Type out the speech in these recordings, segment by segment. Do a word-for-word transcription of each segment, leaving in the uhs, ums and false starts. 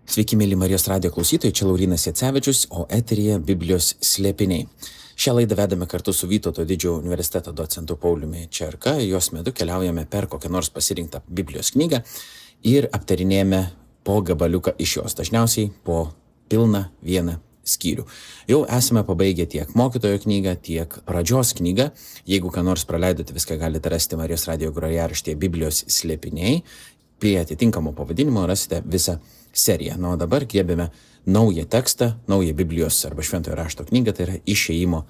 Sveiki, mėly Marijos radijo klausytojai, čia Laurynas Jacevičius, o eteryje Biblijos slėpiniai. Šią laidą vedame kartu su Vytauto didžiojo universiteto docentu Pauliumi Čerka. Jos metu keliaujame per kokią nors pasirinktą Biblijos knygą ir aptarinėjame po gabaliuką iš jos, dažniausiai po pilną vieną skyrių. Jau esame pabaigę tiek mokytojo knygą, tiek pradžios knygą. Jeigu ką nors praleidote, viską galite rasti Marijos radijo grojaraštyje Biblijos slėpiniai. Prie atitinkamo pavadinimo rasite visą seriją. Na, o dabar griebėme naują tekstą, naują Biblijos arba Šventojo rašto knygą, tai yra Išėjimo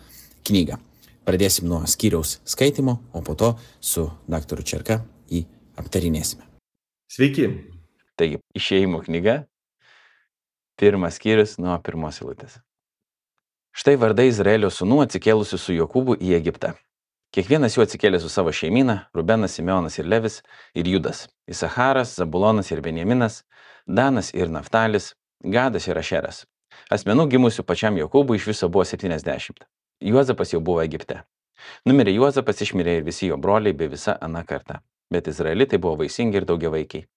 knygą. Pradėsim nuo skyriaus skaitimo, o po to su daktaru Čerka jį aptarinėsime. Sveiki. Taigi, Išėjimo knyga, pirmas skyrius nuo pirmos eilutės. Štai vardai Izraelio sūnų atsikėlusių su Jokūbu į Egiptą. Kiekvienas jų atsikėlė su savo šeimyna, Rubenas, Simeonas ir Levis ir Judas, Isacharas, Zabulonas ir Benjaminas, Danas ir Naftalis, Gadas ir Ašeras. Asmenų gimusių pačiam Jokūbui iš viso buvo septyniasdešimt. Juozapas jau buvo Egipte. Numirė Juozapas, išmirė ir visi jo broliai bei visa ana karta. Bet izraelitai buvo vaisingi ir daugiavaikiai.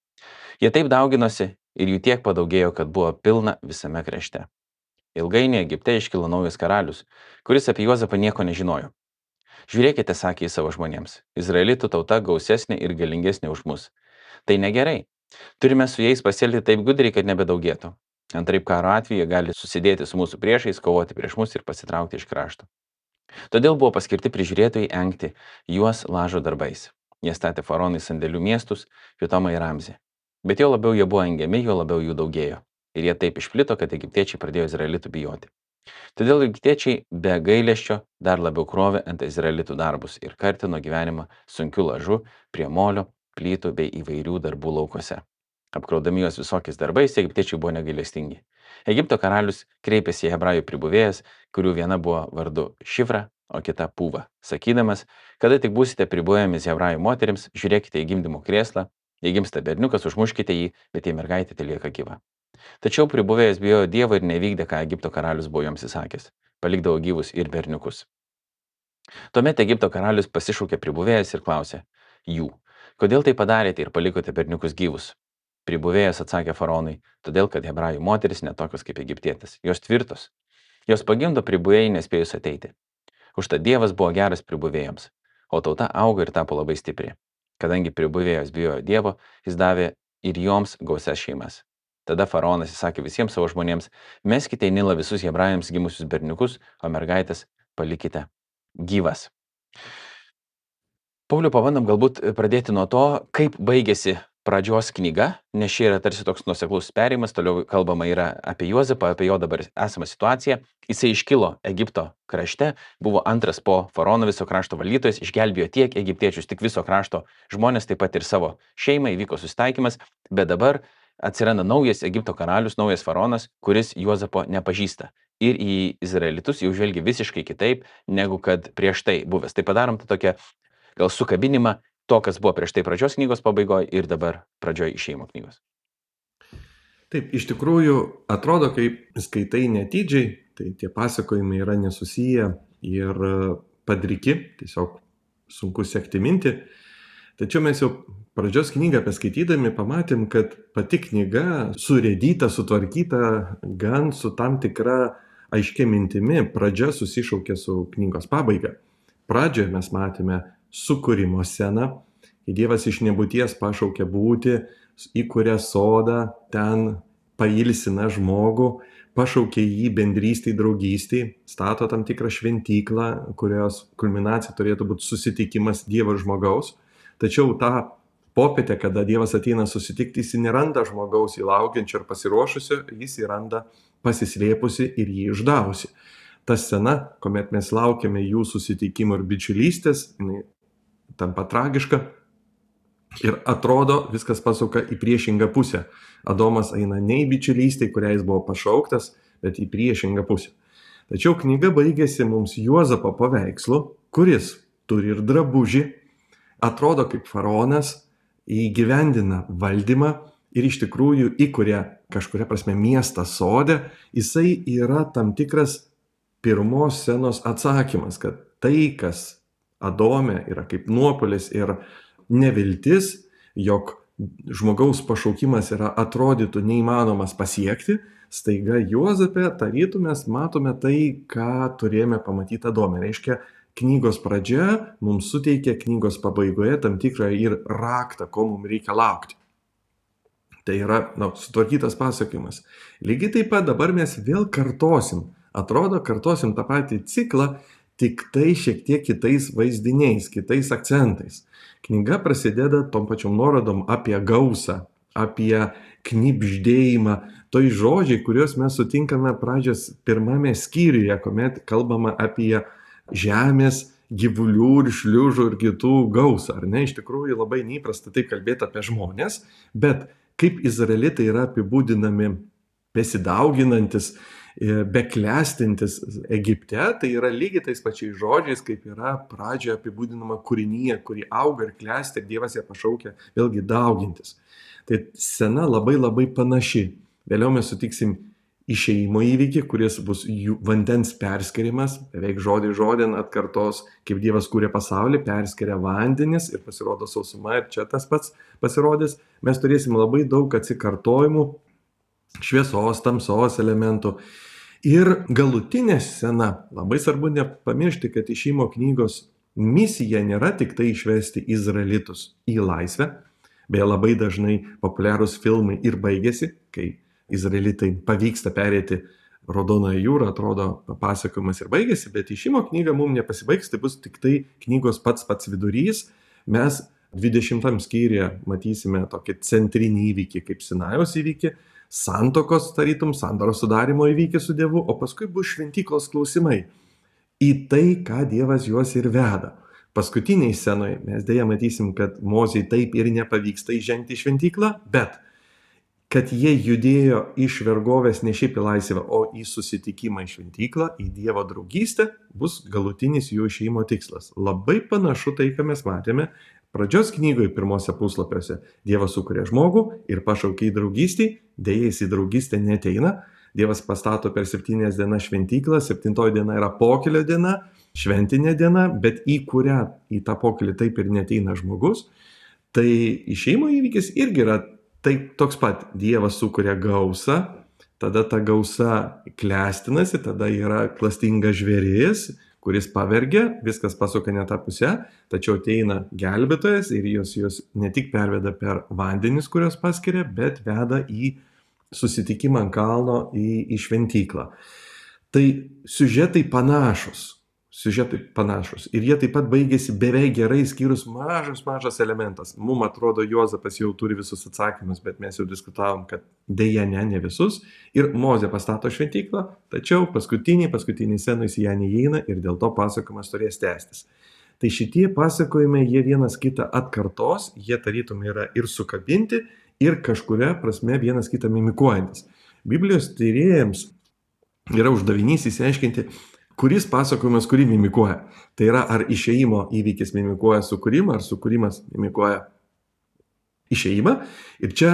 Jie taip dauginosi ir jų tiek padaugėjo, kad buvo pilna visame krašte. Ilgainiui Egipte iškilo naujas karalius, kuris apie Juozapą nieko nežinojo. Žiūrėkite, sakė jis savo žmonėms, izraelitų tauta gausesnė ir galingesnė už mus. Tai negerai. Turime su jais pasielgti taip gudriai, kad nebedaugėtų. Antraip karo atveju jie gali susidėti su mūsų priešais, kovoti prieš mus ir pasitraukti iš krašto. Todėl buvo paskirti prižiūrėtojai engti juos lažo darbais. Jie statė faraonui sandėlių miestus, Pitomą ir Ramzį. Bet jo labiau jie buvo engiami, jo labiau jų daugėjo. Ir jie taip išplito, kad egiptiečiai pradėjo izraelitų bijoti. Todėl egiptiečiai be gailesčio dar labiau krovė ant izraelitų darbus ir kartino gyvenimą sunkiu lažu prie molio, plytų bei įvairių darbų laukose. Apkraudami juos visokiais darbais, egiptiečiai buvo negailestingi. Egipto karalius kreipėsi į hebrajų pribuvėjas, kurių viena buvo vardu Šifra, o kita Pūva, sakydamas, kada tik būsite pribuvėjomis hebrajų moterims, žiūrėkite į gimdymo krėslą, jei gimsta berniukas, užmuškite jį, bet jei mergaitė telieka gyva. Tačiau pribuvėjas bijojo Dievo ir nevykdė, ką Egipto karalius buvo joms įsakęs. Palikdavo gyvus ir berniukus. Tuomet Egipto karalius pasišaukė pribuvėjas ir klausė jų, kodėl tai padarėte ir palikote berniukus gyvus? Pribuvėjas atsakė faraonui, todėl kad hebrajų moteris netokios kaip egiptietis, jos tvirtos. Jos pagimdo pribuvėjai nespėjus ateiti. Užtat Dievas buvo geras pribuvėjams, o tauta augo ir tapo labai stipri. Kadangi pribuvėjas bijojo Dievo, jis davė ir joms gausias šeimas. Tada faraonas įsakė visiems savo žmonėms, meskite į Nilą visus hebrajams gimusius berniukus, o mergaitės palikite gyvas. Pauliau, pabandom galbūt pradėti nuo to, kaip baigėsi pradžios knyga, nes čia yra tarsi toks nuoseklus perėjimas, toliau kalbama yra apie Juozapą, apie jo dabar esamą situaciją. Jisai iškilo Egipto krašte, buvo antras po faraono viso krašto valdytojas, išgelbėjo tiek egiptiečius, tik viso krašto žmonės, taip pat ir savo šeimą, įvyko susitaikymas, bet dabar atsiranda naujas Egipto karalius, naujas faraonas, kuris Juozapo nepažįsta. Ir į izraelitus jau žvelgia visiškai kitaip, negu kad prieš tai buvęs. Tai padarom tą tokią gal sukabinimą to, kas buvo prieš tai pradžios knygos pabaigoje ir dabar pradžioje Išėjimo knygos. Taip, iš tikrųjų atrodo, kaip skaitai netidžiai, tai tie pasakojimai yra nesusiję ir padriki, tiesiog sunku sekti mintį. Tačiau mes jau pradžios knygą paskaitydami pamatėm, kad pati knyga surėdyta, sutvarkyta gan su tam tikra aiškia mintimi. Pradžia susišaukia su knygos pabaiga. Pradžioje mes matėme sukūrimo sceną, kai Dievas iš nebūties pašaukia būti, įkuria sodą, ten pailsina žmogų, pašaukia jį bendrystei, draugystei, stato tam tikrą šventyklą, kurios kulminacija turėtų būti susitikimas Dievo ir žmogaus. Tačiau tą popietę, kada Dievas ateina susitikti, jis neranda žmogaus įlaukiančio ir pasiruošusio, jis įranda pasislėpusi ir jį išdavusi. Ta scena, kuomet mes laukiame jų susitikimo ir bičiulystės, jinai tampa tragiška ir atrodo viskas pasuka į priešingą pusę. Adomas eina ne į bičiulystę, kurią jis buvo pašauktas, bet į priešingą pusę. Tačiau knyga baigėsi mums Juozapo paveikslu, kuris turi ir drabužį, atrodo kaip faraonas, įgyvendina valdymą ir iš tikrųjų įkuria kažkuria prasme miestą sodę. Jisai yra tam tikras pirmos scenos atsakymas, kad tai, kas Adome yra kaip nuopuolis ir neviltis, jog žmogaus pašaukimas yra atrodytų neįmanomas pasiekti, staiga Juozape tarytum mes matome tai, ką turėjome pamatyti Adome. Reiškia, knygos pradžia mums suteikia knygos pabaigoje tam tikrą ir raktą, ko mums reikia laukti. Tai yra na, sutvarkytas pasakojimas. Lygiai taip pat dabar mes vėl kartosim. Atrodo, kartosim tą patį ciklą, tik tai šiek tiek kitais vaizdiniais, kitais akcentais. Knyga prasideda tom pačiom nuorodom apie gausą, apie knibždėjimą. Tai žodžiai, kuriuos mes sutinkame pradžios pirmame skyriuje, kuomet kalbama apie žemės, gyvulių ir šliužų ir kitų gausą. Ar ne? Iš tikrųjų labai neįprasta taip kalbėti apie žmonės, bet kaip izraelitai yra apibūdinami besidauginantis, beklestintis Egipte, tai yra lygiai tais pačiais žodžiais, kaip yra pradžioje apibūdinama kūrinyje, kuri auga ir klesti ir Dievas ją pašaukia vėlgi daugintis. Tai scena labai labai panaši. Vėliau mes sutiksim išėjimo įvykį, kuris bus vandens perskirimas, beveik žodį žodin atkartos, kaip Dievas kūrė pasaulį, perskiria vandenis ir pasirodo sausuma ir čia tas pats pasirodys. Mes turėsim labai daug atsikartojimų, šviesos, tamsos elementų. Ir galutinė scena, labai svarbu nepamiršti, kad išėjimo knygos misija nėra tik tai išvesti izraelitus į laisvę, beje labai dažnai populiarūs filmai ir baigėsi, kai izraelitai pavyksta perėti Raudonoją jūrą, atrodo pasakojimas ir baigėsi, bet išėjimo knyga mums nepasibaigs, tai bus tik tai knygos pats pats vidurys. Mes dvidešimtam skyriuje matysime tokį centrinį įvykį kaip Sinajaus įvykį, santokos tarytum, sandoros sudarimo įvykį su Dievu, o paskui bus šventyklos klausimai. Į tai, ką Dievas juos ir veda. Paskutiniai scenoje mes dėja matysim, kad Mozei taip ir nepavyksta įžengti į šventyklą, bet kad jie judėjo iš vergovės ne šiaip į laisvę, o į susitikimą į šventyklą, į Dievo draugystę, bus galutinis jų išėjimo tikslas. Labai panašu tai, ką mes matėme pradžios knygoje pirmose puslapiuose. Dievas sukuria žmogų ir pašaukia į draugystį, dėja jis į draugystę neteina. Dievas pastato per septynias dienas šventyklą, septintoji diena yra pokylio diena, šventinė diena, bet į kurią, į tą pokylį taip ir neteina žmogus. Tai išėjimo įvykis irgi yra tai toks pat. Dievas sukuria gausą, tada ta gausa klestinasi, tada yra klastingas žvėris, kuris pavergia, viskas pasuka ne tą pusę, tačiau ateina gelbėtojas ir jos, jos ne tik perveda per vandenis, kurios paskiria, bet veda į susitikimą ant kalno, į, į šventyklą. Tai siužetai panašus. Siužetai panašus. Ir jie taip pat baigėsi beveik gerai, skyrus mažas, mažas elementas. Mums atrodo, Juozapas jau turi visus atsakymus, bet mes jau diskutavom, kad dėja ne, ne visus. Ir Mozė pastato šventyklą, tačiau paskutiniai, paskutiniai scenai į ją neįeina ir dėl to pasakojimas turės tęstis. Tai šitie pasakojimai, jie vienas kitą atkartos, jie tarytum yra ir sukabinti, ir kažkuria prasme vienas kitą mimikuojantis. Biblijos tyrėjams yra uždavinys įsiaiškinti, kuris pasakojimas kurį mimikuoja. Tai yra, ar išėjimo įvykis mimikuoja sukūrimą, ar sukūrimas mimikuoja išėjimą. Ir čia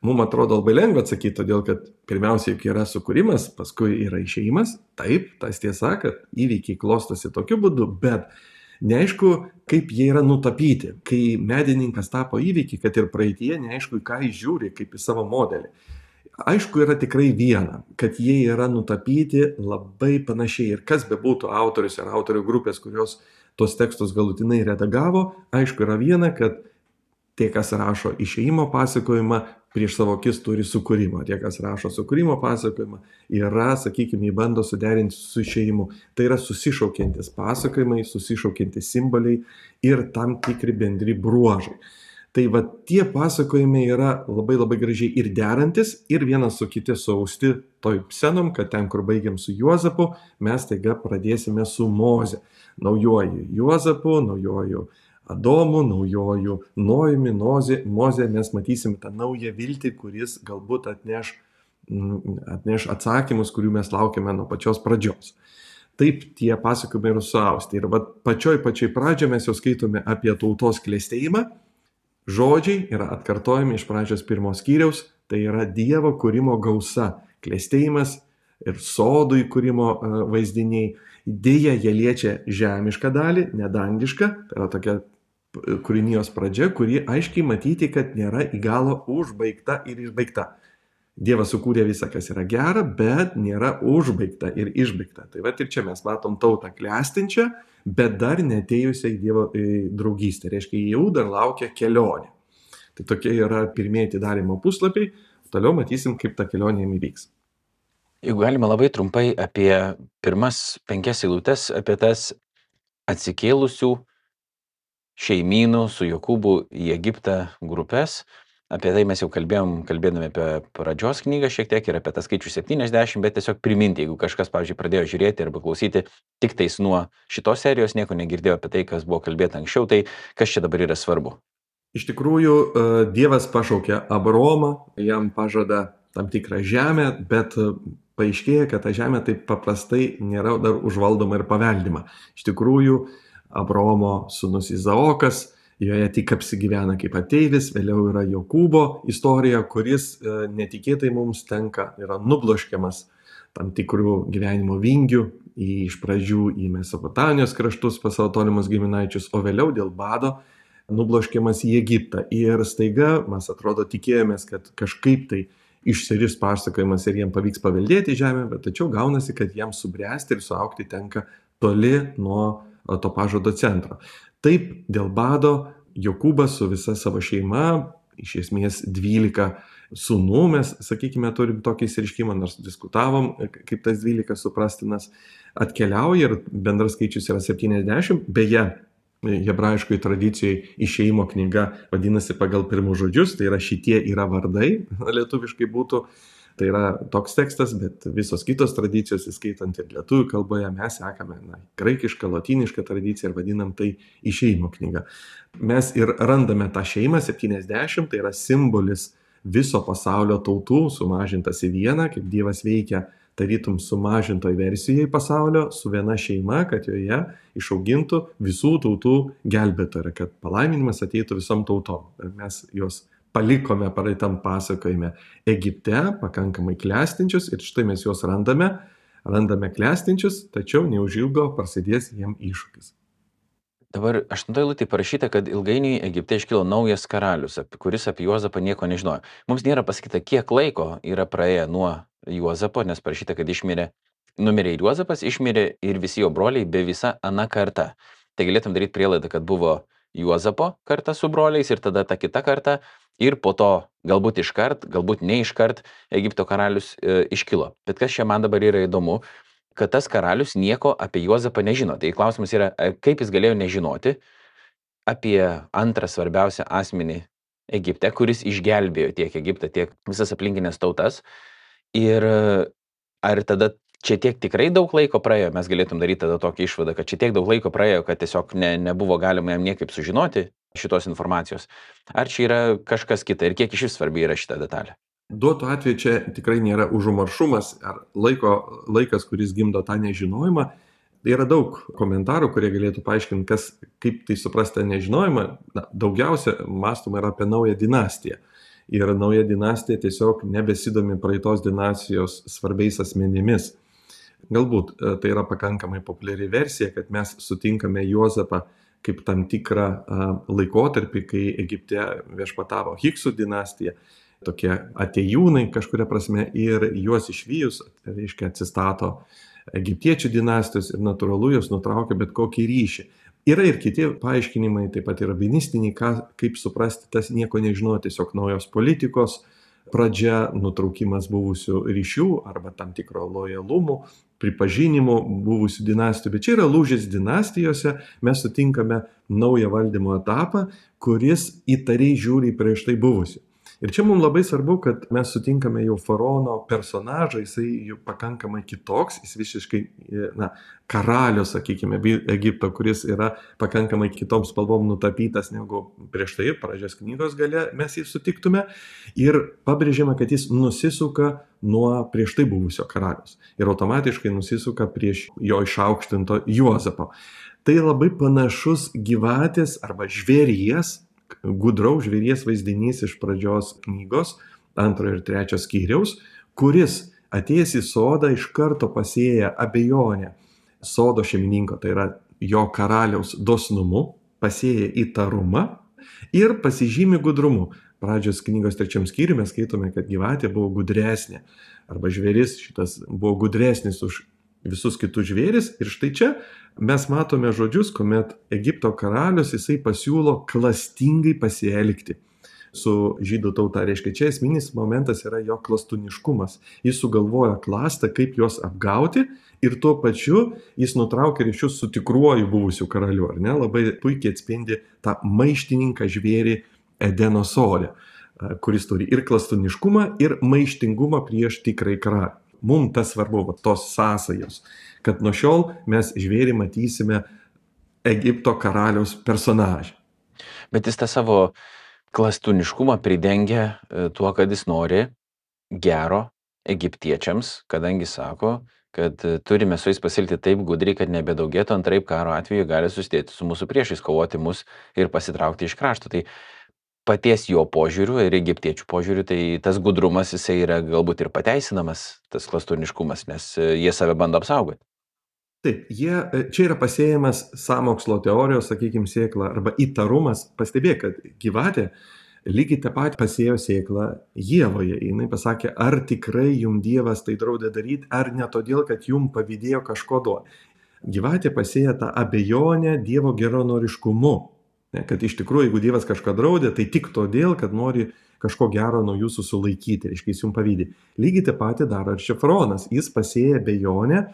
mums atrodo labai lengva atsakyti, todėl kad pirmiausia juk yra sukūrimas, paskui yra išėjimas. Taip, tas tiesa, kad įvykiai klostosi tokiu būdu, bet neaišku, kaip jie yra nutapyti. Kai medininkas tapo įvykį, kad ir praeitie, neaišku, ką jis žiūri, kaip į savo modelį. Aišku, yra tikrai viena, kad jie yra nutapyti labai panašiai. Ir kas bebūtų autorius ar autorių grupės, kurios tos tekstus galutinai redagavo, aišku, yra viena, kad tie, kas rašo išėjimo pasakojimą, prieš savo akis turi sukūrimą. Tie, kas rašo sukūrimo pasakojimą, yra, sakykime, bando suderinti su išėjimu. Tai yra susišaukiantis pasakojimai, susišaukiantis simboliai ir tam tikri bendri bruožai. Tai va tie pasakojimai yra labai labai gražiai ir derantis, ir vienas su kiti suausti toj scenom, kad ten, kur baigiam su Juozapu, mes taiga pradėsime su Moze. Naujoju Juozapu, naujoju Adomu, naujoju Nojumi, Moze, mes matysime tą naują viltį, kuris galbūt atneš, atneš atsakymus, kurių mes laukiame nuo pačios pradžios. Taip tie pasakojimai yra suausti. Ir va pačioj pačioj pradžioje mes jau skaitome apie tautos klestėjimą. Žodžiai yra atkartojami iš pradžios pirmos skyriaus, tai yra Dievo kūrimo gausa, klestėjimas ir sodų įkūrimo vaizdiniai. Deja, jie liečia žemišką dalį, nedangišką, tai yra tokia kūrinijos pradžia, kuri aiškiai matyti, kad nėra į galą užbaigta ir išbaigta. Dievas sukūrė visą, kas yra gera, bet nėra užbaigta ir išbaigta. Tai va ir čia mes matom tautą klestinčią, bet dar neatėjusią į Dievo į draugystę. Reiškia, jau dar laukia kelionė. Tai tokie yra pirmieji atidarymo puslapiai. Toliau matysim, kaip ta kelionė jam įvyks. Jeigu galima labai trumpai apie pirmas penkias eilutes, apie tas atsikėlusių šeimynų su Jokūbu į Egiptą grupės. Apie tai mes jau kalbėjom, kalbėdami apie pradžios knygą šiek tiek ir apie tą skaičių septyniasdešimt, bet tiesiog priminti, jeigu kažkas, pavyzdžiui, pradėjo žiūrėti arba klausyti tik tais nuo šitos serijos, nieko negirdėjo apie tai, kas buvo kalbėta anksčiau, tai kas čia dabar yra svarbu? Iš tikrųjų, Dievas pašaukė Abraomą, jam pažada tam tikrą žemę, bet paaiškėja, kad ta žemė taip paprastai nėra dar užvaldoma ir paveldima. Iš tikrųjų, Abraomo sūnus Izaokas, joje tik apsigyvena kaip ateivis, vėliau yra Jokūbo istorija, kuris netikėtai mums tenka, yra nubloškiamas tam tikrų gyvenimo vingių, į, iš pradžių į Mesopotamijos kraštus pas savo tolimus giminaičius, o vėliau dėl bado nubloškiamas į Egiptą. Ir staiga mes atrodo tikėjomės, kad kažkaip tai išsiris pasakojimas ir jiem pavyks paveldėti žemę, bet tačiau gaunasi, kad jiems subręsti ir suaugti tenka toli nuo to pažado centro. Taip, dėl bado Jokūbas su visa savo šeima, iš esmės dvylika sūnų, mes, sakykime, turim tokį išsireiškimą, nors diskutavom, kaip tas dvylika suprastinas, atkeliauja ir bendras skaičius yra septyniasdešimt, beje, hebrajiškoje tradicijoje išėjimo knyga vadinasi pagal pirmus žodžius, tai yra šitie yra vardai, lietuviškai būtų. Tai yra toks tekstas, bet visos kitos tradicijos, įskaitant ir lietuvių kalboje, mes sekame na, graikišką, lotynišką tradiciją ir vadinam tai išėjimo knyga. Mes ir randame tą šeimą septyniasdešimt, tai yra simbolis viso pasaulio tautų sumažintas į vieną, kaip Dievas veikia tarytum sumažintoj versijai pasaulio su viena šeima, kad joje išaugintų visų tautų gelbėtoją, kad palaiminimas ateitų visom tautom. Ir mes juos palikome praeitam pasakojime Egipte, pakankamai klestinčius, ir štai mes juos randame, randame klestinčius, tačiau neužilgo prasidės jiem iššūkis. Dabar aštuntoje eilutėje parašyta, kad ilgainiui Egipte iškilo naujas karalius, kuris apie Juozapą nieko nežinojo. Mums nėra pasakyta, kiek laiko yra praėję nuo Juozapo, nes parašyta, kad išmirė, numirė ir Juozapas, išmirė ir visi jo broliai be visa ana karta. Tai galėtum daryti prielaidą, kad buvo Juozapo karta su broliais ir tada ta kita karta ir po to galbūt iškart, galbūt ne iškart Egipto karalius e, iškilo. Bet kas čia man dabar yra įdomu, kad tas karalius nieko apie Juozapą nežino. Tai klausimas yra, kaip jis galėjo nežinoti apie antrą svarbiausią asmenį Egipte, kuris išgelbėjo tiek Egiptą, tiek visas aplinkinės tautas. Ir ar tada čia tiek tikrai daug laiko praėjo, mes galėtum daryti tada tokį išvadą, kad čia tiek daug laiko praėjo, kad tiesiog ne, nebuvo galima jam niekaip sužinoti šitos informacijos. Ar čia yra kažkas kita ir kiek iš vis svarbi yra šita detalė? Duotų atveju čia tikrai nėra užumaršumas ar laiko, laikas, kuris gimdo tą nežinojimą. Yra daug komentarų, kurie galėtų paaiškinti, kas, kaip tai suprasti nežinojimą. Na, daugiausia mąstoma yra apie naują dinastiją. Ir nauja dinastija tiesiog nebesidomi praeitos dinastijos svarbiais asmenimis. Galbūt tai yra pakankamai populiari versija, kad mes sutinkame Juozapą kaip tam tikrą laikotarpį, kai Egipte viešpatavo Hiksų dinastija, tokie atėjūnai kažkuria prasme, ir juos išvijus, reiškia, atsistato egiptiečių dinastijos ir natūralu jos nutraukia bet kokį ryšį. Yra ir kiti paaiškinimai, taip pat yra rabinistiniai, kaip suprasti tas nieko nežinojo, tiesiog naujos politikos pradžia, nutraukimas buvusių ryšių arba tam tikro lojalumų, pripažinimų buvusių dinastijų. Bet čia yra lūžis dinastijose, mes sutinkame naują valdymo etapą, kuris įtariai žiūri prieš tai buvusių. Ir čia mums labai svarbu, kad mes sutinkame jau faraono personažą, jisai jau pakankamai kitoks, jis visiškai, na, karalius, sakykime, Egipto, kuris yra pakankamai kitom spalvom nutapytas negu prieš tai, pradžios knygos gale mes jį sutiktume. Ir pabrėžiama, kad jis nusisuka nuo prieš tai buvusio karalius. Ir automatiškai nusisuka prieš jo išaukštinto Juozapo. Tai labai panašus gyvatės arba žvėries, gudraus žvėries vaizdinys iš pradžios knygos, antrojo ir trečio skyriaus, kuris atėjęs į sodą iš karto pasėja abejonę sodo šeimininko, tai yra jo karaliaus dosnumu, pasėja įtarumą ir pasižymi gudrumu. Pradžios knygos trečiam skyriui mes skaitome, kad gyvatė buvo gudresnė, arba žvėris šitas buvo gudresnis už visus kitus žvėris. Ir štai čia mes matome žodžius, kuomet Egipto karalius jisai pasiūlo klastingai pasielgti su žydų tauta. Reiškia, čia esminis momentas yra jo klastuniškumas. Jis sugalvoja klastą, kaip juos apgauti ir tuo pačiu jis nutraukia ryšius su tikruoju buvusiu karaliu. Ar ne? Labai puikiai atspindi tą maištininką žvėrį Edeno sode, kuris turi ir klastuniškumą, ir maištingumą prieš tikrąjį karalių. Mums tas svarbu, va, tos sąsajos, kad nuo šiol mes žvėrį matysime Egipto karaliaus personažą. Bet jis tą savo klastuniškumą pridengia tuo, kad jis nori gero egiptiečiams, kadangi sako, kad turime su jais pasilgti taip gudriai, kad nebedaugėtų, antraip karo atveju gali susidėti su mūsų priešais, kovoti mus ir pasitraukti iš krašto. Tai paties jo požiūriu ir egiptiečių požiūriu, tai tas gudrumas jisai yra galbūt ir pateisinamas, tas klastuniškumas, nes jie save bando apsaugoti. Taip, jie, čia yra pasėjimas sąmokslo teorijos, sakykime, sėkla arba įtarumas. Pastebėk, kad gyvatė lygiai tą patį pasėjo sėklą Ievoje. Jis pasakė, ar tikrai jums Dievas tai draudė daryti, ar ne todėl, kad jums pavydėjo kažko duoti. Gyvatė pasėjo tą abejonę Dievo geranoriškumu. Kad iš tikrųjų, jeigu Dievas kažką draudė, tai tik todėl, kad nori kažko gero nuo jūsų sulaikyti, reiškia, jis jums pavydė. Lygiai tą patį daro ir čia faraonas. Jis pasėjo abejonę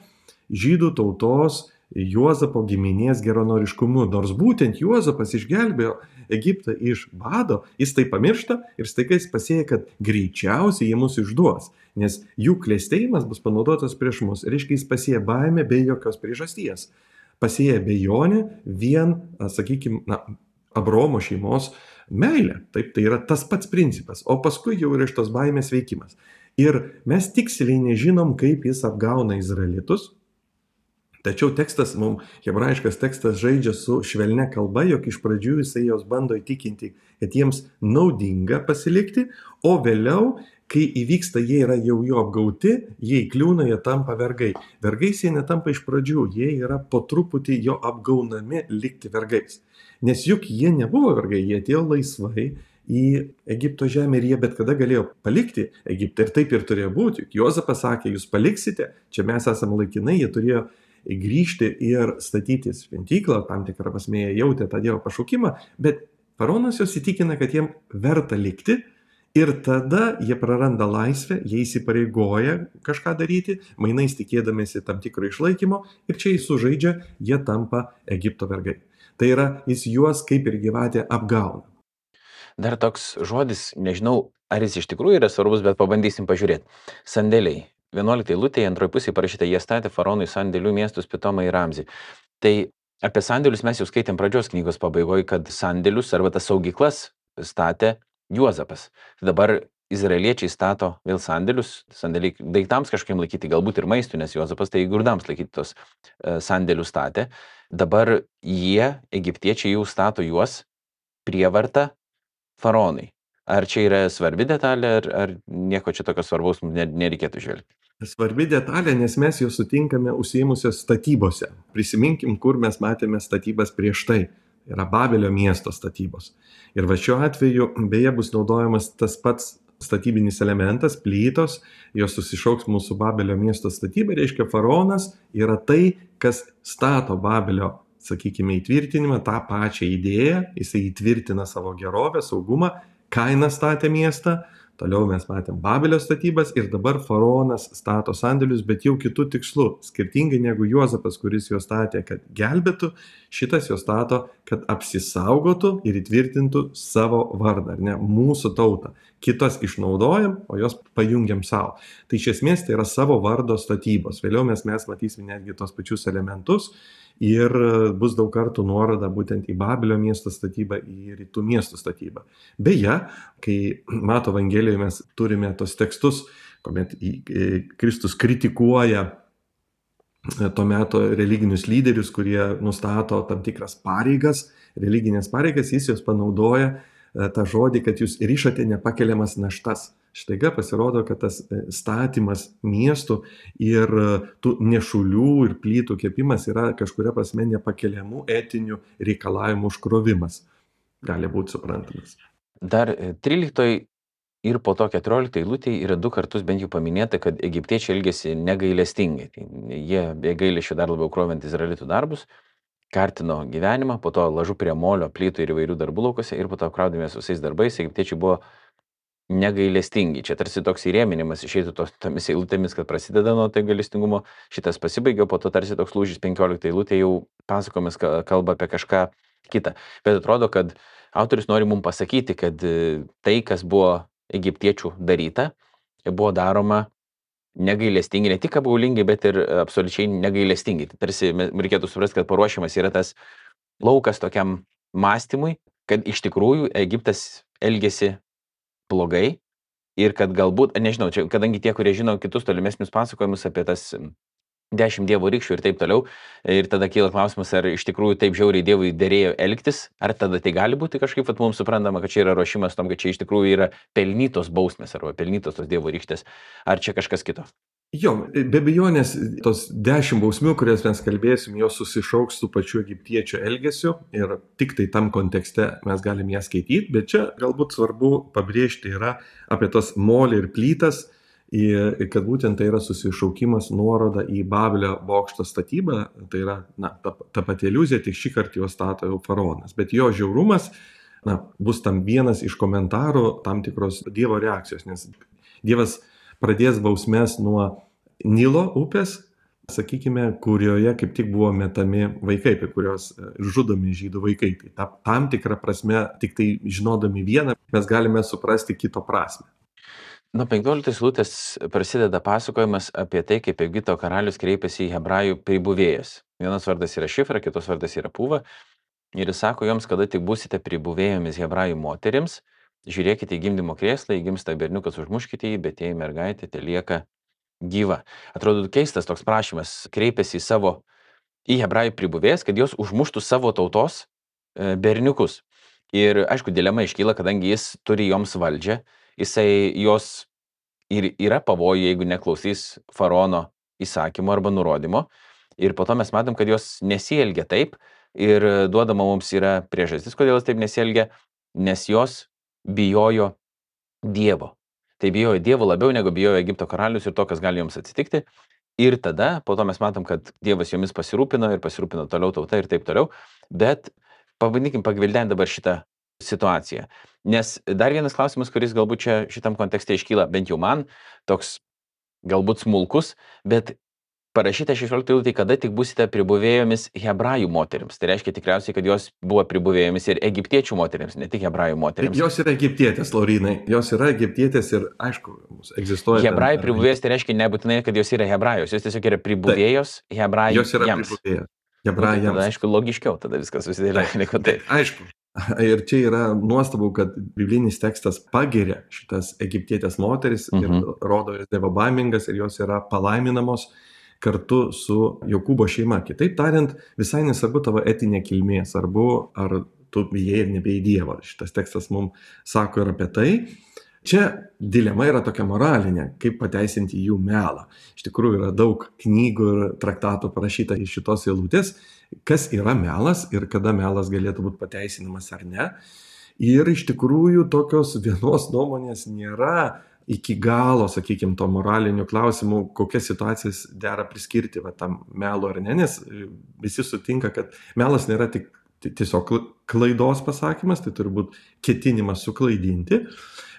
žydų tautos Juozapo giminės geranoriškumu. Nors būtent Juozapas išgelbėjo Egiptą iš bado, jis tai pamiršta ir staiga jis pasėjo, kad greičiausiai jie mus išduos, nes jų klestėjimas bus panaudotas prieš mus. Reiškia, jis pasėjo baimę be jokios priežasties. Pasėjo abejonę vien, sakykime, na, Abraomo šeimos meilę. Taip, tai yra tas pats principas. O paskui jau yra iš tos baimės veikimas. Ir mes tiksliai nežinom, kaip jis apgauna izraelitus. Tačiau tekstas, mums hebrajiškas tekstas žaidžia su švelnia kalba, jog iš pradžių jisai jos bando įtikinti, kad jiems naudinga pasilikti, o vėliau, kai įvyksta, jie yra jau jo apgauti, jie įkliūna, jie tampa vergai. Vergais jie netampa iš pradžių, jie yra po truputį jo apgaunami likti vergais. Nes juk jie nebuvo vergai, jie atėjo laisvai į Egipto žemę ir jie bet kada galėjo palikti Egiptą. Ir taip ir turėjo būti. Juk Juozapas sakė, jūs paliksite, čia mes esame laikinai, jie turėjo grįžti ir statytis šventyklą, tam tikrą prasme jie jautė tą Dievo pašaukimą, bet faraonas juos įtikina, kad jiem verta likti. Ir tada jie praranda laisvę, jie įsipareigoja kažką daryti, mainais tikėdamėsi tam tikro išlaikymo ir čia jis sužaidžia, jie tampa Egipto vergai. Tai yra, jis juos kaip ir gyvatė apgauna. Dar toks žodis, nežinau, ar jis iš tikrųjų yra svarbus, bet pabandysim pažiūrėti. Sandėliai. vienuoliktai eilutėje antroje pusėje parašyta, jie statė faraonui sandėlių miestus Pitomą ir Ramzį. Tai apie sandėlius mes jau skaitėm pradžios knygos pabaigoje, kad sandėlius arba tas saugyklas statė Juozapas. Dabar izraeliečiai stato vėl sandėlius, sandėliai daiktams kažkaip laikyti, galbūt ir maistų, nes Juozapas tai grūdams laikyti tos e, sandėlius statė. Dabar jie, egiptiečiai, jau stato juos prievarta faraonai. Ar čia yra svarbi detalė, ar, ar nieko čia tokio svarbaus nereikėtų žvelgti? Svarbi detalė, nes mes jau sutinkame užsiėmusios statybose. Prisiminkim, kur mes matėme statybas prieš tai. Yra Babelio miesto statybos. Ir va šiuo atveju beje bus naudojamas tas pats statybinis elementas, plytos, jos susišauks mūsų Babelio miesto statybą, reiškia faraonas yra tai, kas stato Babelio, sakykime, įtvirtinimą, tą pačią idėją, jisai įtvirtina savo gerovę, saugumą, Kaina statė miestą, toliau mes matėm Babelio statybas ir dabar faraonas stato sandėlius, bet jau kitų tikslų. Skirtingai negu Juozapas, kuris juos statė, kad gelbėtų, šitas juos stato, kad apsisaugotų ir įtvirtintų savo vardą, ar ne, mūsų tautą. Kitas išnaudojam, o jos pajungiam savo. Tai iš esmės tai yra savo vardo statybos. Vėliau mes, mes matysime netgi tos pačius elementus ir bus daug kartų nuoroda būtent į Babelio miesto statybą, į rytų miestų statybą. Beje, kai Mato Evangelijoje mes turime tos tekstus, kuomet Kristus kritikuoja to meto religinius lyderius, kurie nustato tam tikras pareigas, religinės pareigas, jis jos panaudoja tą žodį, kad jūs rišate nepakeliamas naštas. Štaiga pasirodo, kad tas statymas miestų ir tų nešulių ir plytų kepimas yra kažkuria prasme nepakeliamų etinių reikalavimų užkrovimas. Gali būti suprantamas. Dar tryliktoj ir po to keturioliktoj eilutėje yra du kartus bent jau paminėta, kad egiptiečiai elgėsi negailestingai. Tai jie be gailesčio dar labiau krovant izraelitų darbus, kartino gyvenimą, po to lažu prie molio, plytų ir įvairių darbų laukose ir po to kraudėmės visais darbais, egiptiečiai buvo negailestingi. Čia tarsi toks įrėminimas išeitų tos tomis eilutėmis, kad prasideda nuo tai gailestingumo, šitas pasibaigė, po to tarsi toks lūžis penkiolikta eilutė jau pasakomis kalba apie kažką kitą. Bet atrodo, kad autorius nori mums pasakyti, kad tai, kas buvo egiptiečių daryta, buvo daroma negailestingi, ne tik apgaulingi, bet ir absoliučiai negailestingi. Tai tarsi reikėtų suprasti, kad paruošimas yra tas laukas tokiam mąstymui, kad iš tikrųjų Egiptas elgėsi blogai ir kad galbūt, nežinau, čia, kadangi tie, kurie žino kitus tolimesnius pasakojimus apie tas dešimt dievo rykščių ir taip toliau, ir tada kyla klausimas, ar iš tikrųjų taip žiauriai dievui derėjo elgtis, ar tada tai gali būti kažkaip, kad mums suprantama, kad čia yra ruošimas tam, kad čia iš tikrųjų yra pelnytos bausmės arba pelnytos tos dievo rykštės, ar čia kažkas kito? Jo, be abejonės, tos dešimt bausmių, kurias mes kalbėsim, jos susišauks su pačiu egiptiečių elgesiu ir tik tai tam kontekste mes galim ją skaityti, bet čia galbūt svarbu pabrėžti yra apie tos molį ir plytas, kad būtent tai yra susišaukimas nuoroda į Babelio bokšto statybą, tai yra na, ta, ta pati iliuzija, tik šį kartą jo stato jau faraonas, bet jo žiaurumas na, bus tam vienas iš komentarų tam tikros Dievo reakcijos, nes Dievas pradės bausmes nuo Nilo upės, sakykime, kurioje kaip tik buvo metami vaikai, apie kurios žudomi žydų vaikai. Tai tam tikrą prasme, tik tai žinodami vieną, mes galime suprasti kito prasme. Nuo penkioliktos eilutės prasideda pasakojimas apie tai, kaip Egipto karalius kreipėsi į hebrajų pribuvėjas. Vienas vardas yra Šifra, kitos vardas yra Puva. Ir jis sako joms, kada tik būsite pribuvėjomis hebrajų moterims, žiūrėkite į gimdymo krėslą, įgimsta berniukas, užmuškite jį, bet jei mergaitė te lieka gyva. Atrodo keistas toks prašymas, kreipėsi į savo, į hebrajų pribuvėjas, kad jos užmuštų savo tautos berniukus. Ir aišku, dilema iškyla, kadangi jis turi joms valdžią, jisai jos ir yra pavojų, jeigu neklausys faraono įsakymo arba nurodymo. Ir po to mes matom, kad jos nesielgia taip ir duodama mums yra priežastis, kodėl jos taip nesielgia, nes jos bijojo Dievo. Tai bijojo Dievo labiau negu bijojo Egipto karalius ir to, kas gali joms atsitikti. Ir tada po to mes matom, kad Dievas jomis pasirūpino ir pasirūpino toliau tauta ir taip toliau. Bet pabandykim pagvildenti dabar šitą situaciją. Nes dar vienas klausimas, kuris galbūt čia šitam kontekste iškyla, bent jau man, toks galbūt smulkus, bet parašyta šešioliktoj eilutėje, kada tik būsite pribuvėjomis hebrajų moterims. Tai reiškia tikriausiai, kad jos buvo pribuvėjomis ir egiptiečių moterims, ne tik hebrajų moterims. Jos yra egiptietės, Laurinai. Jos yra egiptietės ir, aišku, egzistuoja. Hebrajų pribuvėjos tai reiškia nebūtinai, kad jos yra hebrajos. Jos tiesiog yra pribuvėjos hebrajų. Jos yra pribuvėjos hebrajams. Tada, aišku, logiškiau, tada viskas susidėlioja, negu taip. Aišku. Ir čia yra nuostabu, kad biblinis tekstas pagiria šitas egiptietės moteris mhm. ir rodo jas dievobaimingas ir jos yra palaiminamos kartu su Jokūbo šeima. Kitaip tariant, visai nesvarbu tavo etinė kilmė, svarbu, ar tu bijai ir nebijai Dievo. Šitas tekstas mums sako ir apie tai. Čia dilema yra tokia moralinė, kaip pateisinti jų melą. Iš tikrųjų yra daug knygų ir traktatų parašyta iš šitos eilutės, kas yra melas ir kada melas galėtų būti pateisinamas ar ne. Ir iš tikrųjų tokios vienos nuomonės nėra iki galo, sakykime, to moralinių klausimų, kokias situacijas dera priskirti va, tam melo ar ne, nes visi sutinka, kad melas nėra tik tiesiog klaidos pasakymas, tai turi būti ketinimas suklaidinti,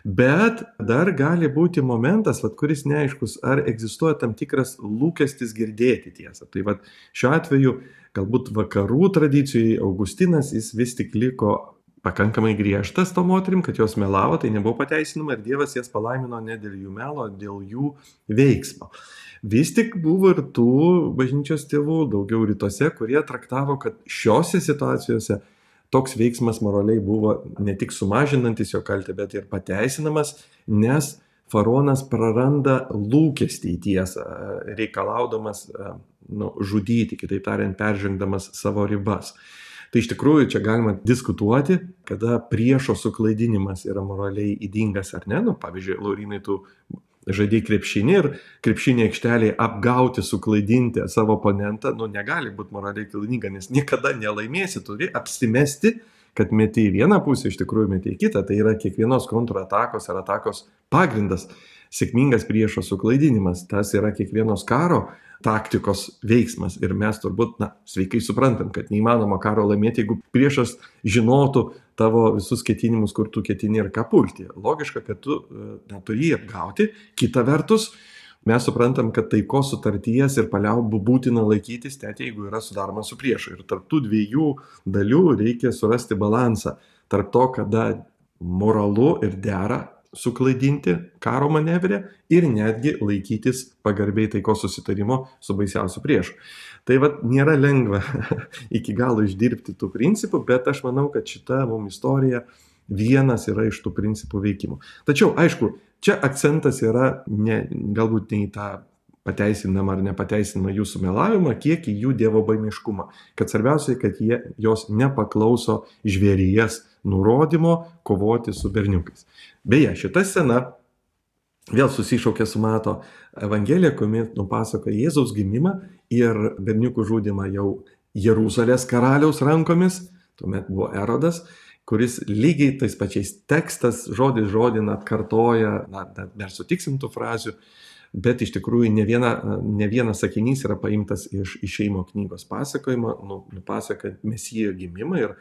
bet dar gali būti momentas, vat, kuris neaiškus, ar egzistuoja tam tikras lūkestis girdėti tiesą. Tai vat, šiuo atveju galbūt vakarų tradicijai Augustinas jis vis tik liko pakankamai griežtas to moterim, kad jos melavo, tai nebuvo pateisinama ir Dievas jas palaimino ne dėl jų melo, dėl jų veiksmo. Vis tik buvo ir tų bažnyčios tėvų, daugiau rytuose, kurie traktavo, kad šiose situacijose toks veiksmas moraliai buvo ne tik sumažinantis jo kaltę, bet ir pateisinamas, nes faraonas praranda lūkestį į tiesą, reikalaudamas nu, žudyti, kitaip tariant, peržengdamas savo ribas. Tai iš tikrųjų čia galima diskutuoti, kada priešo suklaidinimas yra moraliai ydingas ar ne. Nu, pavyzdžiui, Laurynai, tu žaidėjai krepšinį ir krepšinį aikštelėje apgauti, suklaidinti savo oponentą, nu negali būti moraliai klaidinga, nes niekada nelaimėsi, turi apsimesti, kad meti į vieną pusę, iš tikrųjų meti į kitą. Tai yra kiekvienos kontratakos ar atakos pagrindas. Sėkmingas priešo suklaidinimas, tas yra kiekvienos karo taktikos veiksmas. Ir mes turbūt, na, sveikai suprantam, kad neįmanoma karo laimėti, jeigu priešas žinotų tavo visus ketinimus, kur tu ketini ir ką pulti. Logiška, kad tu na, turi jį apgauti. Kita vertus, mes suprantam, kad taikos sutarties ir paliaubų būtina laikytis, net jeigu yra sudaroma su priešu. Ir tarp tų dviejų dalių reikia surasti balansą. Tarp to, kada moralu ir dera suklaidinti karo manevrę ir netgi laikytis pagarbiai taikos susitarimo su baisiausiu priešu. Tai vat nėra lengva iki galo išdirbti tų principų, bet aš manau, kad šita mums istorija vienas yra iš tų principų veikimų. Tačiau, aišku, čia akcentas yra ne, galbūt ne į tą pateisinamą ar nepateisinamą jų sumelavimą, kiek į jų dievobaimiškumą. Kad svarbiausia, kad jie, jos nepaklauso žvėries nurodymo kovoti su berniukais. Beje, šita scena vėl susišaukia su Mato Evangelija, kuomet nupasako Jėzaus gimimą ir berniukų žudymą jau Jeruzalės karaliaus rankomis, tuomet buvo Erodas, kuris lygiai tais pačiais tekstas žodis žodin atkartoja, na, dar sutiksim tų frazių, bet iš tikrųjų ne, viena, ne vienas sakinys yra paimtas iš Išėjimo knygos pasakojimo, nu, nupasakojant Mesijo gimimą ir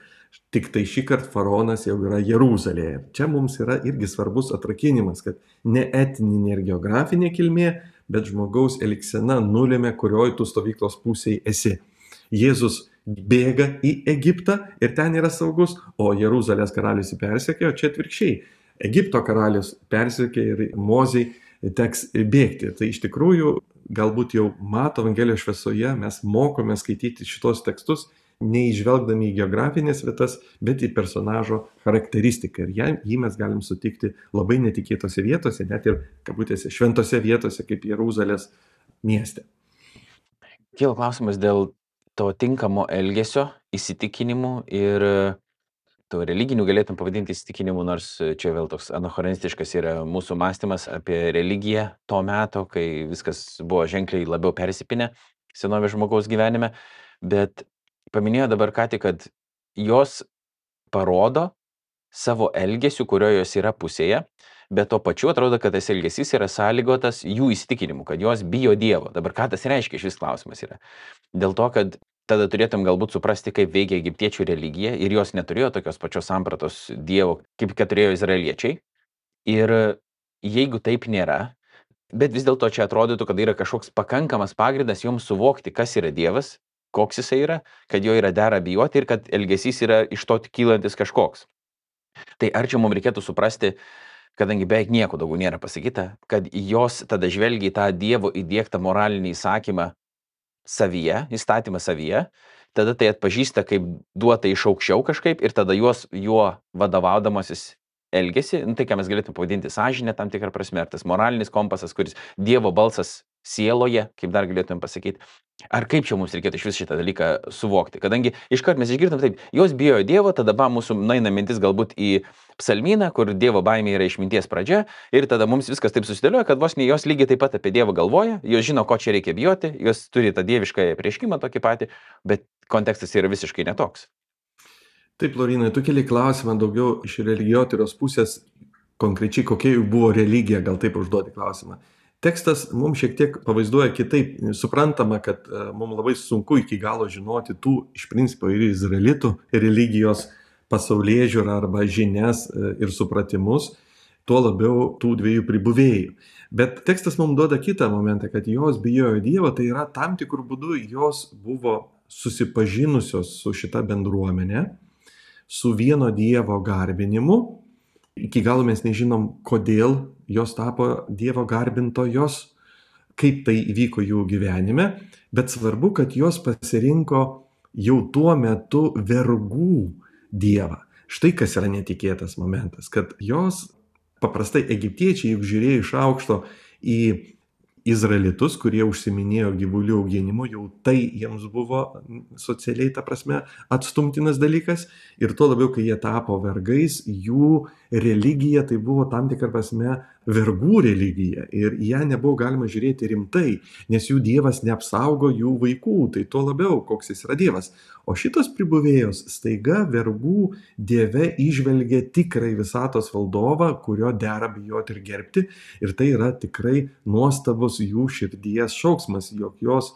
tik tai šį kartą faraonas jau yra Jeruzalėje. Čia mums yra irgi svarbus atrakinimas, kad ne etninė ir geografinė kilmė, bet žmogaus elgsena nulėmė, kurioj tu stovyklos pusėje esi. Jėzus bėga į Egiptą ir ten yra saugus, o Jeruzalės karalius jį persekiojo, čia atvirkščiai. Egipto karalius persekiojo ir Mozei teks bėgti. Tai iš tikrųjų galbūt jau Mato Evangelijos šviesoje mes mokome skaityti šitos tekstus, neįžvelgdami į geografinės vietas, bet į personažo charakteristiką. Ir jį mes galim sutikti labai netikėtose vietose, net ir, kabutėse, šventose vietose, kaip Jeruzalės mieste. Kyla klausimas dėl to tinkamo elgesio, įsitikinimų ir to religinių galėtum pavadinti įsitikinimų, nors čia vėl toks anachronistiškas yra mūsų mąstymas apie religiją to meto, kai viskas buvo ženkliai labiau persipinę senovės žmogaus gyvenime, bet paminėjo dabar ką tik, kad jos parodo savo elgesių, kurio jos yra pusėje, bet to pačiu atrodo, kad tas elgesys yra sąlygotas jų įsitikinimu, kad jos bijo Dievo. Dabar ką tas reiškia, šis klausimas yra. Dėl to, kad tada turėtum galbūt suprasti, kaip veikia egiptiečių religija ir jos neturėjo tokios pačios sampratos Dievo, kaip kad turėjo izraeliečiai. Ir jeigu taip nėra, bet vis dėlto čia atrodytų, kad yra kažkoks pakankamas pagrindas joms suvokti, kas yra Dievas, koks jisai yra, kad jo yra dera bijoti ir kad elgesys yra iš to kylantis kažkoks. Tai ar čia mums reikėtų suprasti, kadangi beveik nieko daugiau nėra pasakyta, kad jos tada žvelgia į tą Dievo įdiegtą moralinį įsakymą savyje, įstatymą savyje, tada tai atpažįsta kaip duota iš aukščiau kažkaip ir tada jos juo vadovaudamasis elgesi, nu, tai ką mes galėtume pavadinti sąžinę tam tikrą prasme, ar tas moralinis kompasas, kuris Dievo balsas sieloje, kaip dar galėtume pasakyti, ar kaip čia mums reikėtų iš vis šitą dalyką suvokti, kadangi iškart mes išgirdom taip, jos bijo Dievo, tada ba mūsų naina mintis galbūt į psalmyną, kur Dievo baimė yra išminties pradžia ir tada mums viskas taip susidėlioja, kad vos ne jos lygiai taip pat apie Dievą galvoja, jos žino, ko čia reikia bijoti, jos turi tą dievišką prieškimą tokį patį, bet kontekstas yra visiškai netoks. Taip, Laurynai, tu keli klausimą daugiau iš religijotyros pusės, konkrečiai kokia jų buvo religija, gal taip užduoti klausimą. Tekstas mums šiek tiek pavaizduoja kitaip, suprantama, kad mums labai sunku iki galo žinoti tų iš principo ir izraelitų religijos pasaulėžiūrą arba žinias ir supratimus, tuo labiau tų dviejų pribuvėjų. Bet tekstas mums duoda kitą momentą, kad jos bijojo Dievo, tai yra tam tikrų būdų jos buvo susipažinusios su šita bendruomenė, su vieno Dievo garbinimu. Iki galo mes nežinom, kodėl jos tapo Dievo garbintojos, kaip tai įvyko jų gyvenime, bet svarbu, kad jos pasirinko jau tuo metu vergų Dievą. Štai kas yra netikėtas momentas, kad jos paprastai egiptiečiai, juk žiūrėjo iš aukšto į izraelitus, kurie užsiminėjo gyvulių auginimu, jau tai jiems buvo socialiai, ta prasme, atstumtinas dalykas. Ir tuo labiau, kai jie tapo vergais, jų religija tai buvo tam tikrą prasme vergų religija. Ir ją nebuvo galima žiūrėti rimtai, nes jų dievas neapsaugo jų vaikų. Tai tuo labiau, koks jis yra dievas. O šitos pribuvėjos staiga vergų dieve įžvelgia tikrai visatos valdovą, kurio dera bijoti ir gerbti. Ir tai yra tikrai nuostabus jų širdies šauksmas, jog jos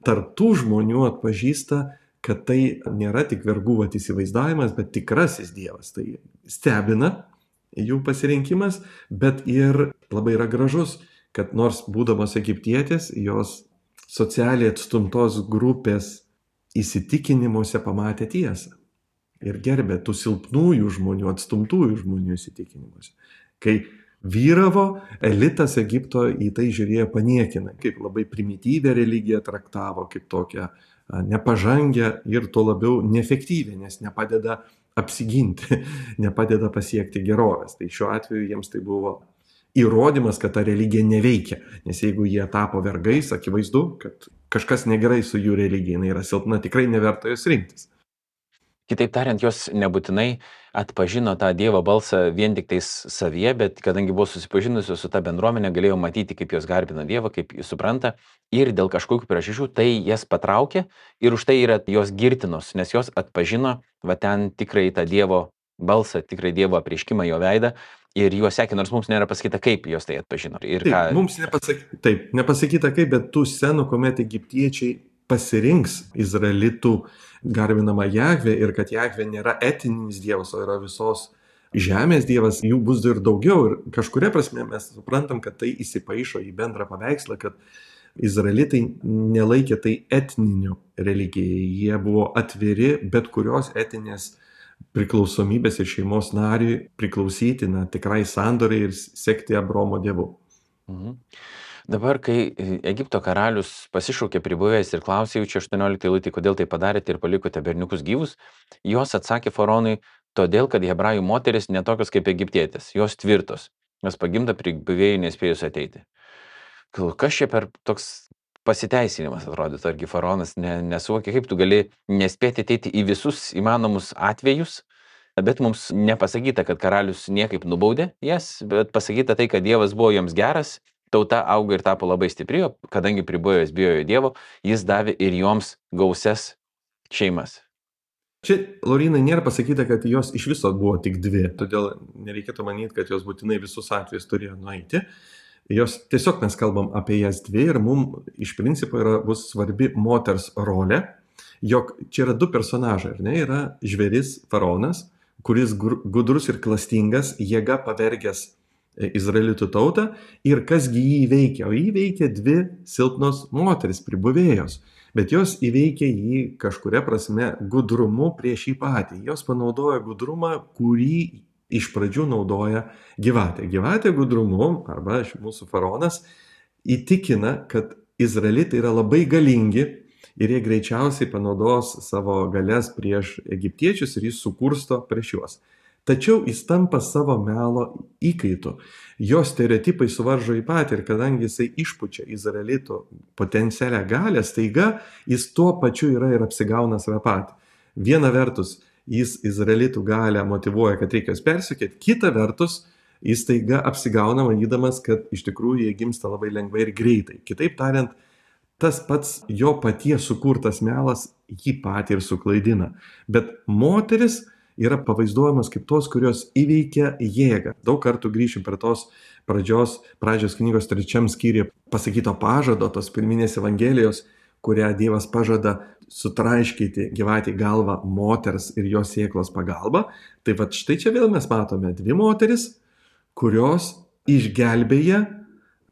tarptų žmonių atpažįsta, kad tai nėra tik vergų vat įsivaizdavimas, bet tikrasis dievas. Tai stebina jų pasirinkimas, bet ir labai yra gražus, kad nors būdamos egiptietės, jos socialiai atstumtos grupės įsitikinimuose pamatė tiesą ir gerbė tų silpnųjų žmonių, atstumtųjų žmonių įsitikinimuose. Kai vyravo, elitas Egipto į tai žiūrėjo paniekinai, kaip labai primityvę religiją traktavo, kaip tokią nepažangę ir tuo labiau neefektyvę, nes nepadeda apsiginti, nepadeda pasiekti gerovės. Tai šiuo atveju jiems tai buvo įrodymas, kad ta religija neveikia, nes jeigu jie tapo vergais, akivaizdu, kad kažkas negerai su jų religija, jinai yra silpna, tikrai neverta jos rinktis. Kitaip tariant, jos nebūtinai atpažino tą Dievo balsą vien tik tais savyje, bet kadangi buvo susipažinusios su ta bendruomenė, galėjo matyti, kaip jos garbina Dievą, kaip jis supranta, ir dėl kažkokių priežasčių tai jas patraukė ir už tai yra jos girtinos, nes jos atpažino va ten tikrai tą Dievo balsą, tikrai Dievo apreiškimą, jo veidą, ir juos sekė, nors mums nėra pasakyta, kaip jos tai atpažino. Ir taip, ką... mums nepasakyta, taip, nepasakyta kaip, bet tų scenų, kuomet egiptiečiai pasirinks izraelitų garbinamą Jahvę ir kad Jahvė nėra etininis dievas, o yra visos žemės dievas, jų bus ir daugiau. Ir kažkuria prasme mes suprantam, kad tai įsipaišo į bendrą paveikslą, kad izraelitai nelaikė tai etniniu religijai. Jie buvo atviri bet kurios etinės priklausomybės ir šeimos nariui priklausyti na, tikrai sandoriai ir sekti Abraomo dievu. Mhm. Dabar, kai Egipto karalius pasišaukė pribuvęs ir klausė jų čia aštuonioliktai eilutė, kodėl tai padarėte ir palikote berniukus gyvus, jos atsakė faraonui, todėl, kad hebrajų moteris netokios kaip egiptietės, jos tvirtos, jos pagimda pribuvėjai nespėjus ateiti. Kas čia per toks pasiteisinimas atrodytų, argi faraonas ne, nesuvokė, kaip tu gali nespėti ateiti į visus įmanomus atvejus, bet mums nepasakyta, kad karalius niekaip nubaudė jas, bet pasakyta tai, kad Dievas buvo joms geras, tauta auga ir tapo labai stipri, kadangi pribuvėjos bijojo Dievo, jis davė ir joms gausias šeimas. Čia, Laurynai, nėra pasakyta, kad jos iš viso buvo tik dvi, todėl nereikėtų manyti, kad jos būtinai visus atvejus turėjo nueiti. Jos tiesiog mes kalbam apie jas dvi ir mums iš principo yra, bus svarbi moters rolė, jog čia yra du personažai, ar ne, yra žvėris faraonas, kuris gudrus ir klastingas, jėga pavergęs izraelitų tautą ir kasgi jį įveikia, o jį įveikia dvi silpnos moteris pribuvėjos, bet jos įveikia jį kažkuria prasme gudrumu prieš jį patį. Jos panaudoja gudrumą, kurį iš pradžių naudoja gyvatė. Gyvatė gudrumu, arba mūsų faraonas, įtikina, kad izraelitai yra labai galingi ir jie greičiausiai panaudos savo galias prieš egiptiečius ir jis sukursto prieš juos. Tačiau jis tampa savo melo įkaitu. Jo stereotipai suvaržo į patį ir kadangi jisai išpučia izraelitų potencialią galę, staiga jis tuo pačiu yra ir apsigauna save patį. Viena vertus, jis izraelitų galę motyvuoja, kad reikia jos persikėti, kita vertus, jis staiga apsigauna manydamas, kad iš tikrųjų jie gimsta labai lengvai ir greitai. Kitaip tariant, tas pats jo paties sukurtas melas jį patį ir suklaidina. Bet moteris yra pavaizduojamas kaip tos, kurios įveikia jėgą. Daug kartų grįšim prie tos pradžios, pradžios knygos trečiam skyriuje pasakyto pažado, tos pirminės evangelijos, kurią Dievas pažada sutraiškyti gyvatį galvą moters ir jos sėklos pagalba. Tai va štai čia vėl mes matome dvi moteris, kurios išgelbėja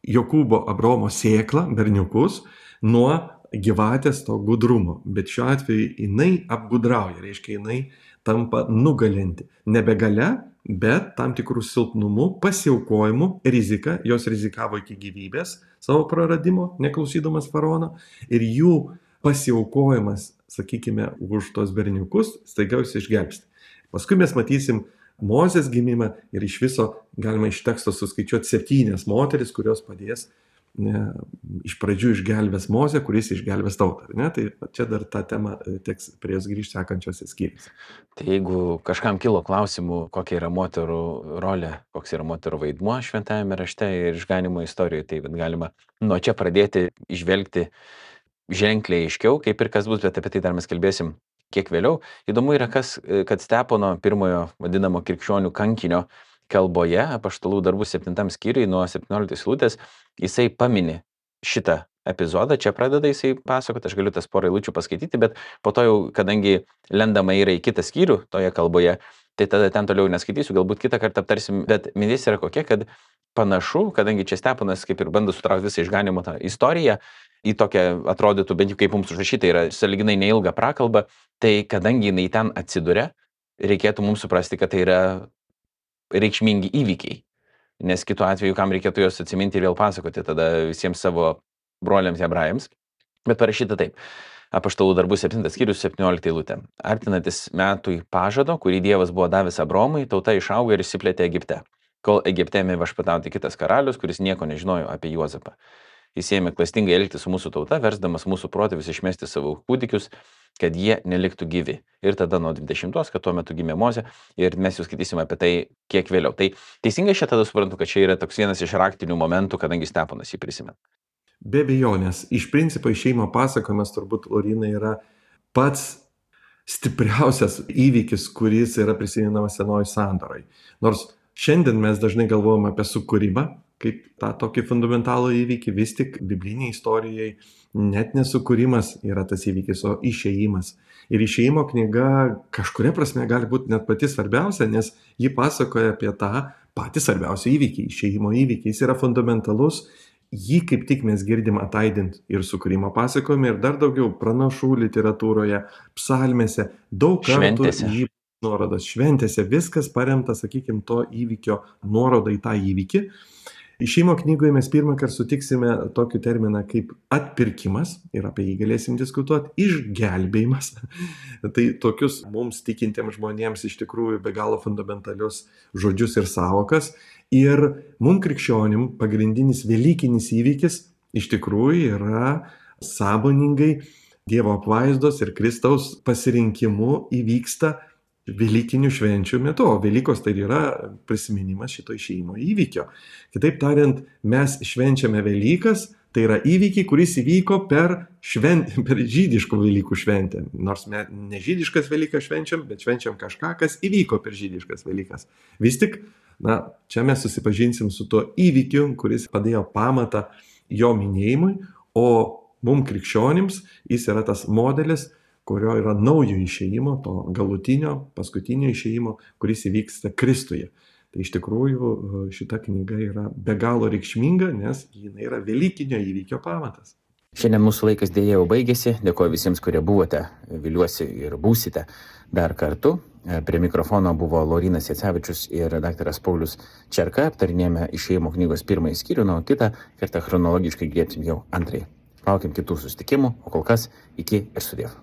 Jokūbo Abraomo sėklą, berniukus, nuo gyvatės to gudrumo. Bet šiuo atveju jinai apgudrauja, reiškia jinai tampa nugalinti. Nebe galia, bet tam tikrų silpnumų, pasiaukojimu, rizika, jos rizikavo iki gyvybės savo praradimo, neklausydamas faraono, ir jų pasiaukojimas, sakykime, už tos berniukus, staiga jūs išgelbsti. Paskui mes matysim Mozės gimimą ir iš viso galima iš teksto suskaičiuoti septynias moteris, kurios padės ne, iš pradžių išgelbės Mozę, kuris išgelbės tautą. Ne? Tai čia dar tą temą teks prie jos grįžti sekančiose skyriuose. Tai jeigu kažkam kilo klausimų, kokia yra moterų rolė, koks yra moterų vaidmuo šventajame rašte ir išganimo istorijoje, tai galima nuo čia pradėti išvelgti ženkliai aiškiau, kaip ir kas bus, bet apie tai dar mes kalbėsim kiek vėliau. Įdomu yra, kas, kad Stepono pirmojo vadinamo krikščionių kankinio kalboje, apaštalų darbų septintam skyriui nuo septynioliktos eilutės, jisai pamini šitą epizodą, čia pradeda jisai pasakoti, aš galiu tas porą eilučių paskaityti, bet po to jau, kadangi lendama yra į kitą skyrių toje kalboje, tai tada ten toliau neskaitysiu, galbūt kitą kartą aptarsim, bet mintis yra kokia, kad panašu, kadangi čia Steponas kaip ir bando sutraukti visą išganimo tą istoriją, į tokią atrodytų, bent jau kaip mums užrašyta, yra sąlyginai neilga prakalba, tai kadangi jinai ten atsiduria, reikėtų mums suprasti, kad tai yra reikšmingi įvykiai, nes kitu atveju, kam reikėtų juos atsiminti ir vėl pasakoti tada visiems savo broliams hebrajams. Bet parašyta taip. Apaštalų darbų septintas skyrius septyniolikta eilutė. Artinantis metui pažado, kurį Dievas buvo davęs Abromui, tauta išaugo ir išsiplėtė Egipte, kol Egipte ėmė viešpatauti kitas karalius, kuris nieko nežinojo apie Juozapą. Jis ėmė klastingai elgtis su mūsų tauta, versdamas mūsų protėvius išmesti savo kūdikius, kad jie neliktų gyvi. Ir tada nuo dvidešimtos, kad tuo metu gimė Mozė, ir mes jau skaitysime apie tai kiek vėliau. Tai teisingai šią tada suprantu, kad čia yra toks vienas iš raktinių momentų, kadangi Steponas jį prisimena. Be abejonės, iš principo išėjimo pasakojimas turbūt, Laurynai, yra pats stipriausias įvykis, kuris yra prisimenamas Senojoj sandorai. Nors šiandien mes dažnai galvojame apie sukūrimą, kaip tą tokį fundamentalų įvykį, vis tik bibliniai istorijai net nesukūrimas yra tas įvykis, o išėjimas. Ir išėjimo knyga kažkuria prasme gali būti net pati svarbiausia, nes ji pasakoja apie tą patį svarbiausią įvykį, išėjimo įvykį. Jis yra fundamentalus, jį kaip tik mes girdim ataidint ir sukūrimo pasakojime, ir dar daugiau pranašų literatūroje, psalmėse, daug kartų jį nuorodos šventėse, viskas paremta, sakykime, to įvykio nuoroda į tą įvykį. Išėjimo knygoje mes pirmą kartą sutiksime tokį terminą kaip atpirkimas, ir apie jį galėsim diskutuoti, išgelbėjimas. Tai tokius mums tikintiems žmonėms iš tikrųjų be galo fundamentalius žodžius ir sąvokas. Ir mums krikščionim pagrindinis velykinis įvykis iš tikrųjų yra sąmoningai Dievo apvaizdos ir Kristaus pasirinkimu įvyksta Velykinių švenčių metu, o Velykos tai yra prisiminimas šito išėjimo įvykio. Kitaip tariant, mes švenčiame Velykas, tai yra įvykiai, kuris įvyko per, švent, per žydiškų Velykų šventę. Nors mes ne žydiškas Velykas švenčiam, bet švenčiam kažką, kas įvyko per žydiškas Velykas. Vis tik, na, čia mes susipažinsim su tuo įvykiu, kuris padėjo pamatą jo minėjimui, o mums krikščionims jis yra tas modelis, kurio yra naujo išėjimo, to galutinio, paskutinio išėjimo, kuris įvyksta Kristuje. Tai iš tikrųjų šita knyga yra be galo reikšminga, nes jinai yra velykinio įvykio pamatas. Šiandien mūsų laikas dėja jau baigėsi. Dėkoju visiems, kurie buvote, viliuosi ir būsite dar kartu. Prie mikrofono buvo Laurynas Jacevičius ir daktaras Paulius Čerka. Aptarinėjome išėjimo knygos pirmąjį skyrių, na, o kitą kartą chronologiškai griebsim jau antrąjį. Laukiam kitų susitikimų, o kol kas iki ir sudiev.